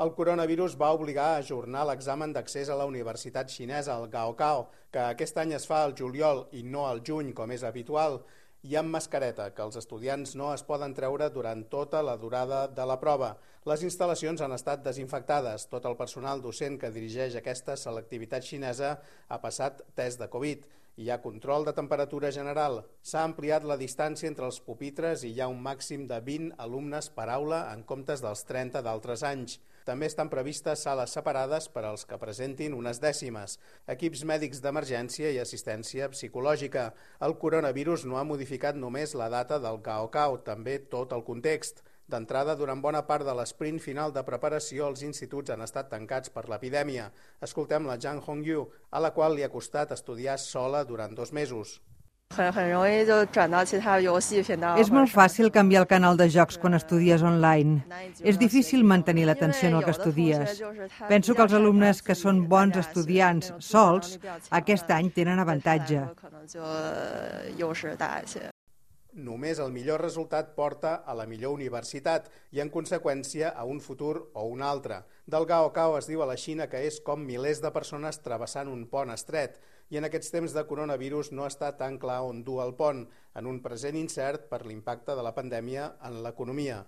El coronavirus va obligar a ajornar l'examen d'accés a la Universitat Xinesa, el Gaokao, que aquest any es fa al juliol i no al juny, com és habitual, i amb mascareta, que els estudiants no es poden treure durant tota la durada de la prova. Les instal·lacions han estat desinfectades. Tot el personal docent que dirigeix aquesta selectivitat xinesa ha passat test de Covid. Hi ha control de temperatura general. S'ha ampliat la distància entre els pupitres i hi ha un màxim de 20 alumnes per aula en comptes dels 30 d'altres anys. També estan previstes sales separades per als que presentin unes dècimes, equips mèdics d'emergència i assistència psicològica. El coronavirus no ha modificat només la data del Gaokao, també tot el context. D'entrada, durant bona part de l'esprint final de preparació, els instituts han estat tancats per l'epidèmia. Escoltem la Zhang Hongyu, a la qual li ha costat estudiar sola durant 2 mesos. És molt fàcil canviar el canal de jocs quan estudies online. És difícil mantenir l'atenció en el que estudies. Penso que els alumnes que són bons estudiants sols, aquest any tenen avantatge. Només el millor resultat porta a la millor universitat i, en conseqüència, a un futur o un altre. Del Gaokao es diu a la Xina que és com milers de persones travessant un pont estret i en aquests temps de coronavirus no està tan clar on dur el pont, en un present incert per l'impacte de la pandèmia en l'economia.